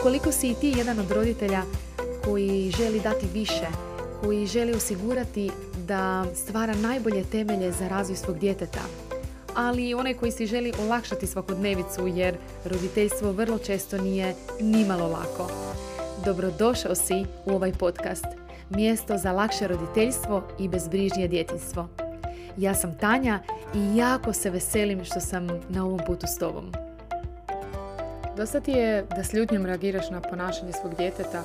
Ukoliko si i ti jedan od roditelja koji želi dati više, koji želi osigurati da stvara najbolje temelje za razvoj svog djeteta, ali i onaj koji si želi olakšati svakodnevicu jer roditeljstvo vrlo često nije nimalo lako. Dobrodošao si u ovaj podcast, mjesto za lakše roditeljstvo i bezbrižnije djetinjstvo. Ja sam Tanja i jako se veselim što sam na ovom putu s tobom. Dosta ti je da s ljutnjom reagiraš na ponašanje svog djeteta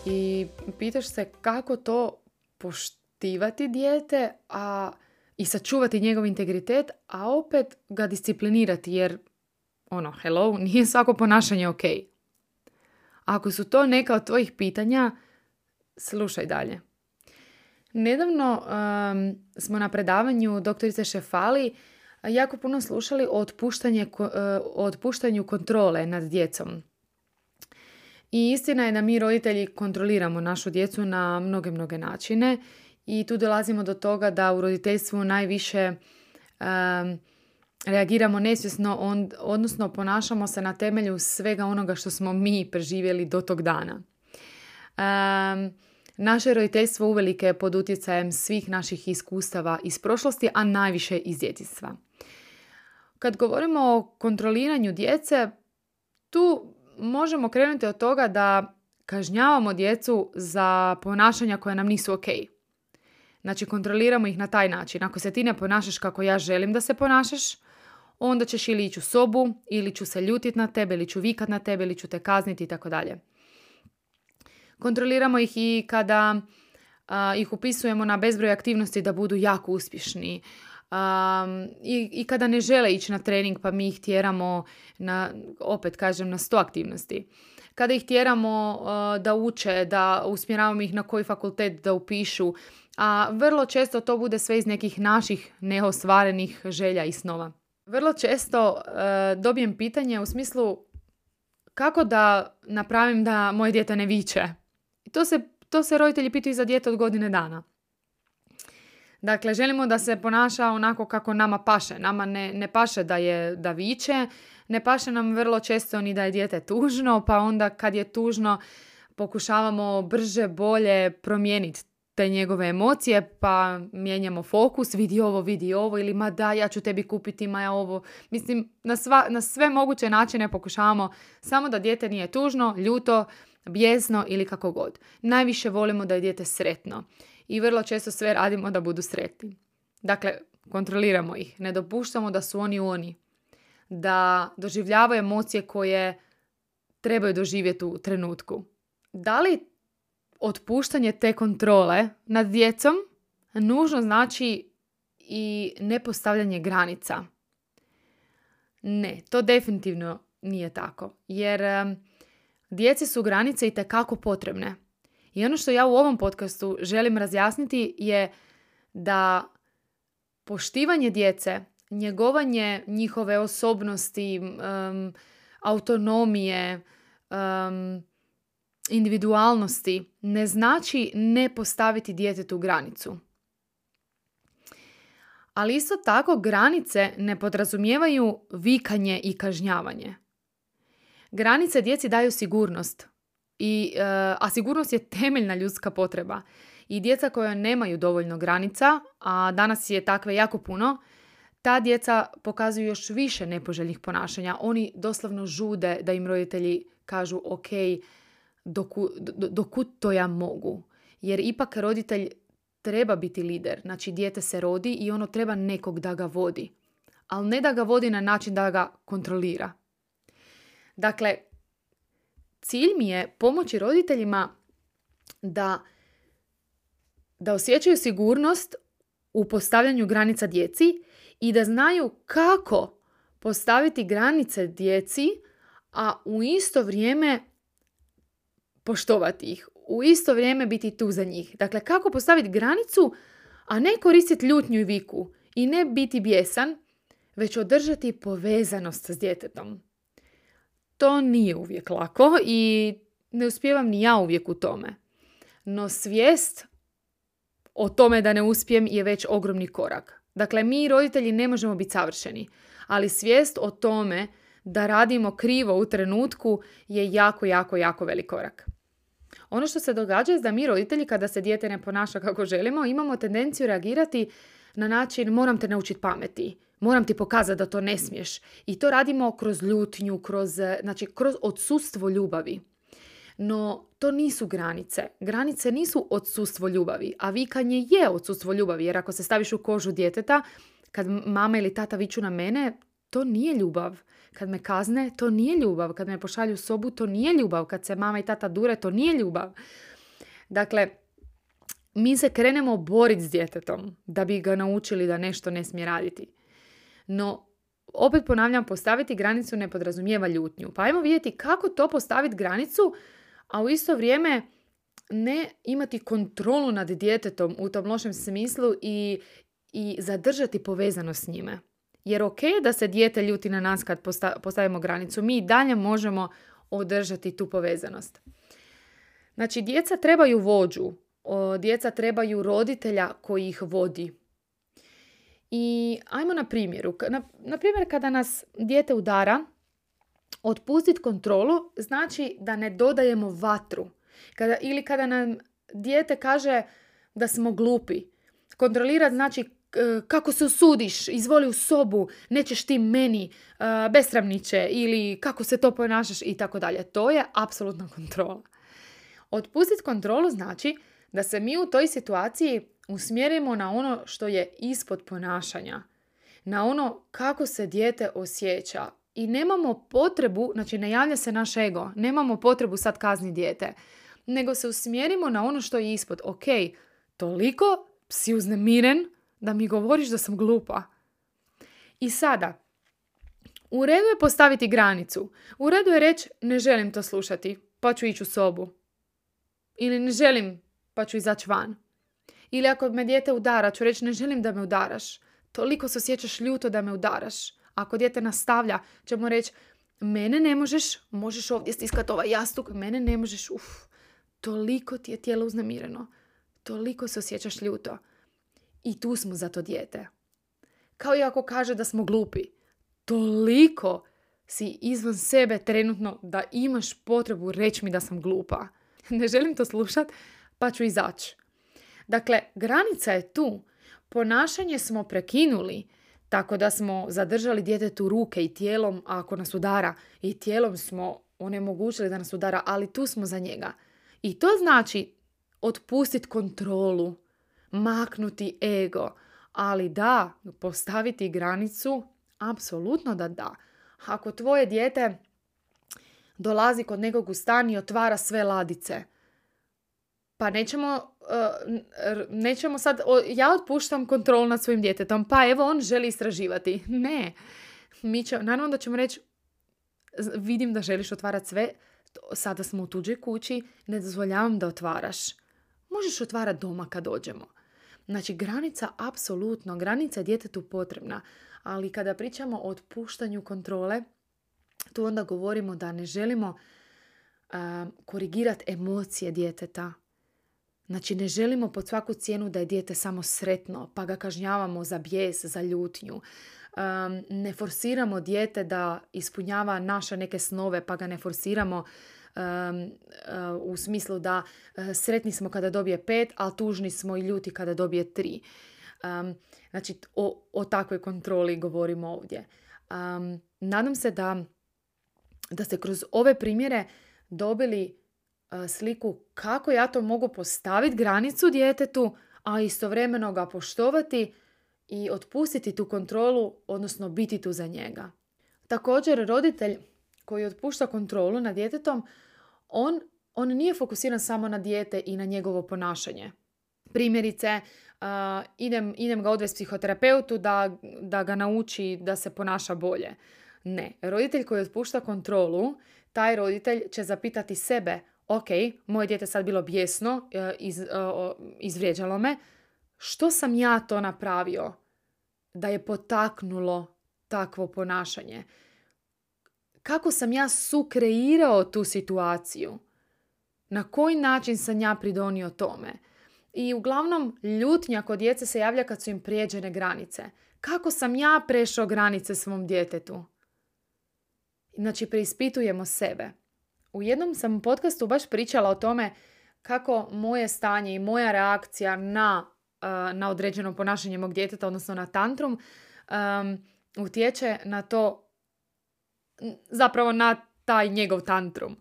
i pitaš se kako to poštivati dijete i sačuvati njegov integritet, a opet ga disciplinirati jer nije svako ponašanje ok. Ako su to neka od tvojih pitanja, slušaj dalje. Nedavno smo na predavanju doktorice Šefali jako puno slušali o otpuštanju kontrole nad djecom. I istina je da mi roditelji kontroliramo našu djecu na mnoge načine i tu dolazimo do toga da u roditeljstvu najviše reagiramo nesvjesno, odnosno ponašamo se na temelju svega onoga što smo mi preživjeli do tog dana. Naše roditeljstvo uvelike je pod utjecajem svih naših iskustava iz prošlosti, a najviše iz djetinjstva. Kad govorimo o kontroliranju djece, tu možemo krenuti od toga da kažnjavamo djecu za ponašanja koja nam nisu ok. Znači, kontroliramo ih na taj način. Ako se ti ne ponašaš kako ja želim da se ponašaš, onda ćeš ili ići u sobu, ili ću se ljutiti na tebe, ili ću vikat na tebe, ili ću te kazniti itd. Kontroliramo ih i kada ih upisujemo na bezbroj aktivnosti da budu jako uspješni. I kada ne žele ići na trening pa mi ih tjeramo na 100 aktivnosti. Kada ih tjeramo da uče, da usmjeravamo ih na koji fakultet da upišu, a vrlo često to bude sve iz nekih naših neostvarenih želja i snova. Vrlo često dobijem pitanje u smislu kako da napravim da moje dijete ne viče. I to se roditelji pitaju za dijete od godine dana. Dakle, želimo da se ponaša onako kako nama paše. Nama ne paše da viče, ne paše nam vrlo često ni da je dijete tužno, pa onda kad je tužno pokušavamo brže, bolje promijeniti te njegove emocije, pa mijenjamo fokus, vidi ovo, ili ma da, ja ću tebi kupiti, ma ja ovo. Mislim, na sve moguće načine pokušavamo samo da dijete nije tužno, ljuto, bijesno ili kako god. Najviše volimo da je dijete sretno i vrlo često sve radimo da budu sretni. Dakle, kontroliramo ih, ne dopuštamo da su oni, da doživljavaju emocije koje trebaju doživjeti u trenutku. Da li otpuštanje te kontrole nad djecom nužno znači i nepostavljanje granica? Ne, to definitivno nije tako, jer djeci su granice itekako potrebne. I ono što ja u ovom podcastu želim razjasniti je da poštivanje djece, njegovanje njihove osobnosti, autonomije, individualnosti ne znači ne postaviti djetetu granicu. Ali isto tako granice ne podrazumijevaju vikanje i kažnjavanje. Granice djeci daju sigurnost, a sigurnost je temeljna ljudska potreba. I djeca koja nemaju dovoljno granica, a danas je takve jako puno, ta djeca pokazuju još više nepoželjnih ponašanja. Oni doslovno žude da im roditelji kažu ok, dokud to ja mogu. Jer ipak roditelj treba biti lider. Znači, dijete se rodi i ono treba nekog da ga vodi. Ali ne da ga vodi na način da ga kontrolira. Dakle, cilj mi je pomoći roditeljima da osjećaju sigurnost u postavljanju granica djeci i da znaju kako postaviti granice djeci, a u isto vrijeme poštovati ih. U isto vrijeme biti tu za njih. Dakle, kako postaviti granicu, a ne koristiti ljutnju i viku i ne biti bijesan, već održati povezanost s djetetom. To nije uvijek lako i ne uspijevam ni ja uvijek u tome. No svijest o tome da ne uspijem je već ogromni korak. Dakle, mi roditelji ne možemo biti savršeni, ali svijest o tome da radimo krivo u trenutku je jako, jako, jako velik korak. Ono što se događa je da mi roditelji, kada se dijete ne ponaša kako želimo, imamo tendenciju reagirati na način moram te naučiti pameti, moram ti pokazati da to ne smiješ. I to radimo kroz ljutnju, kroz odsustvo ljubavi. No, to nisu granice. Granice nisu odsustvo ljubavi, a vikanje je odsustvo ljubavi, jer ako se staviš u kožu djeteta, kad mama ili tata viču na mene, to nije ljubav. Kad me kazne, to nije ljubav. Kad me pošalju u sobu, to nije ljubav. Kad se mama i tata dure, to nije ljubav. Dakle, mi se krenemo boriti s djetetom da bi ga naučili da nešto ne smije raditi. No, opet ponavljam, postaviti granicu ne podrazumijeva ljutnju. Pa ajmo vidjeti kako to postaviti granicu, a u isto vrijeme ne imati kontrolu nad djetetom u tom lošem smislu i zadržati povezanost s njime. Jer ok da se dijete ljuti na nas kad postavimo granicu, mi i dalje možemo održati tu povezanost. Znači, djeca trebaju vođu, djeca trebaju roditelja koji ih vodi. I ajmo na primjeru. Na primjer, kada nas dijete udara, otpustiti kontrolu znači da ne dodajemo vatru. Kada nam dijete kaže da smo glupi. Kontrolirati znači kako se usudiš, izvoli u sobu, nećeš ti meni, besramniče, ili kako se to ponašaš i tako dalje. To je apsolutna kontrola. Otpustiti kontrolu znači da se mi u toj situaciji usmjerimo na ono što je ispod ponašanja, na ono kako se dijete osjeća. I nemamo potrebu, znači ne javlja se naš ego, nemamo potrebu sad kazniti dijete, nego se usmjerimo na ono što je ispod. Ok, toliko si uznemiren da mi govoriš da sam glupa. I sada, u redu je postaviti granicu. U redu je reći ne želim to slušati, pa ću ići u sobu. Ili ne želim, pa ću izaći van. Ili ako me dijete udara, ću reći ne želim da me udaraš. Toliko se osjećaš ljuto da me udaraš. Ako dijete nastavlja, ćemo reći mene ne možeš ovdje stiskati ovaj jastuk, mene ne možeš, toliko ti je tijelo uznemireno. Toliko se osjećaš ljuto. I tu smo za to dijete. Kao i ako kaže da smo glupi. Toliko si izvan sebe trenutno da imaš potrebu reći mi da sam glupa. Ne želim to slušati, pa ću izaći. Dakle, granica je tu. Ponašanje smo prekinuli, tako da smo zadržali djetetu ruke i tijelom ako nas udara. I tijelom smo onemogućili da nas udara, ali tu smo za njega. I to znači otpustiti kontrolu, maknuti ego. Ali da, postaviti granicu, apsolutno da. Ako tvoje dijete dolazi kod nekog u stan i otvara sve ladice, pa nećemo sad, ja otpuštam kontrolu nad svojim djetetom, pa evo on želi istraživati. Ne. Naravno da ćemo reći, vidim da želiš otvarati sve, sada smo u tuđoj kući, ne dozvoljavam da otvaraš. Možeš otvarati doma kad dođemo. Znači, granica je djetetu potrebna, ali kada pričamo o otpuštanju kontrole, tu onda govorimo da ne želimo korigirati emocije djeteta. Znači, ne želimo pod svaku cijenu da je dijete samo sretno, pa ga kažnjavamo za bijes, za ljutnju. Ne forsiramo dijete da ispunjava naše neke snove, pa ga ne forsiramo u smislu da sretni smo kada dobije 5, a tužni smo i ljuti kada dobije 3. Znači, o takvoj kontroli govorimo ovdje. Nadam se da ste kroz ove primjere dobili sliku kako ja to mogu postaviti granicu djetetu, a istovremeno ga poštovati i otpustiti tu kontrolu, odnosno biti tu za njega. Također, roditelj koji otpušta kontrolu nad djetetom, on nije fokusiran samo na dijete i na njegovo ponašanje. Primjerice, idem ga odvesti psihoterapeutu da ga nauči da se ponaša bolje. Ne, roditelj koji otpušta kontrolu, taj roditelj će zapitati sebe, ok, moje dijete sad bilo bijesno, izvrijeđalo me, što sam ja to napravio da je potaknulo takvo ponašanje? Kako sam ja sukreirao tu situaciju? Na koji način sam ja pridonio tome? I uglavnom ljutnja kod djece se javlja kad su im prijeđene granice. Kako sam ja prešao granice svom djetetu? Znači, preispitujemo sebe. U jednom sam podcastu baš pričala o tome kako moje stanje i moja reakcija na određeno ponašanje mog djeteta, odnosno na tantrum, utječe na to, zapravo na taj njegov tantrum.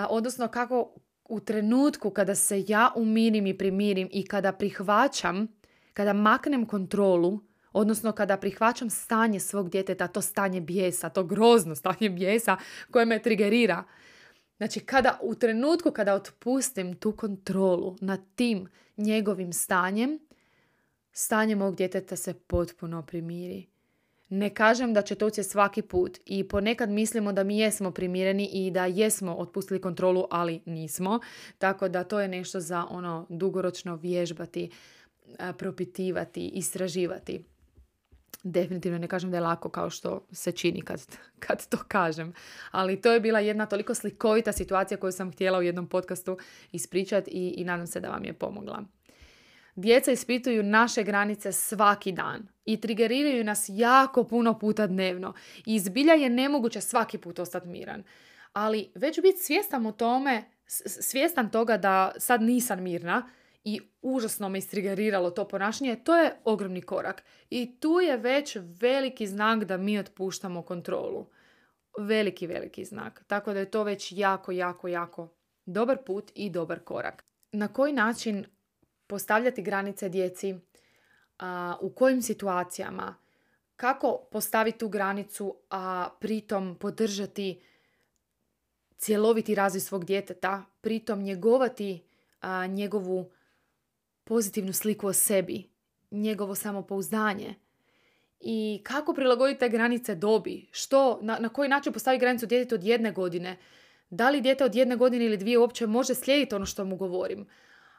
Odnosno kako u trenutku kada se ja umirim i primirim i kada prihvaćam, kada maknem kontrolu, odnosno kada prihvaćam stanje svog djeteta, to stanje bijesa, to grozno stanje bijesa koje me trigerira. Znači, u trenutku kada otpustim tu kontrolu nad tim njegovim stanjem, stanje mog djeteta se potpuno primiri. Ne kažem da će to ući svaki put i ponekad mislimo da mi jesmo primireni i da jesmo otpustili kontrolu, ali nismo. Tako da to je nešto za dugoročno vježbati, propitivati, istraživati. Definitivno ne kažem da je lako kao što se čini kad to kažem. Ali to je bila jedna toliko slikovita situacija koju sam htjela u jednom podcastu ispričati i nadam se da vam je pomogla. Djeca ispituju naše granice svaki dan i trigeriraju nas jako puno puta dnevno. I zbilja je nemoguće svaki put ostati miran. Ali već biti svjestan toga da sad nisam mirna i užasno me istrigeriralo to ponašanje, to je ogromni korak. I tu je već veliki znak da mi otpuštamo kontrolu. Veliki, veliki znak. Tako da je to već jako, jako, jako dobar put i dobar korak. Na koji način postavljati granice djeci, u kojim situacijama, kako postaviti tu granicu, a pritom podržati cjeloviti razvoj svog djeteta, pritom njegovati njegovu pozitivnu sliku o sebi, njegovo samopouzdanje i kako prilagoditi te granice dobi, na koji način postaviti granicu djetetu od 1 godine, da li dijete od 1 godine ili 2 uopće može slijediti ono što mu govorim.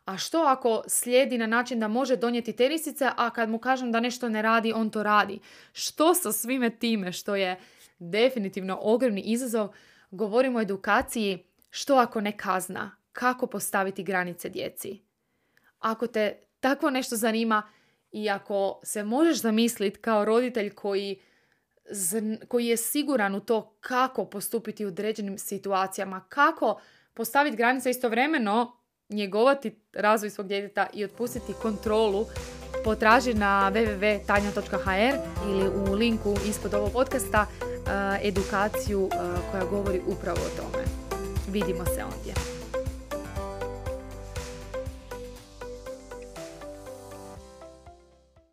A što ako slijedi na način da može donijeti tenisice, a kad mu kažem da nešto ne radi, on to radi? Što sa svime time, što je definitivno ogromni izazov, govorimo o edukaciji, što ako ne kazna, kako postaviti granice djeci. Ako te takvo nešto zanima i ako se možeš zamisliti kao roditelj koji je siguran u to kako postupiti u određenim situacijama, kako postaviti granice istovremeno, njegovati razvoj svog djeteta i otpustiti kontrolu, potraži na www.tanja.hr ili u linku ispod ovog podcasta edukaciju koja govori upravo o tome. Vidimo se ondje.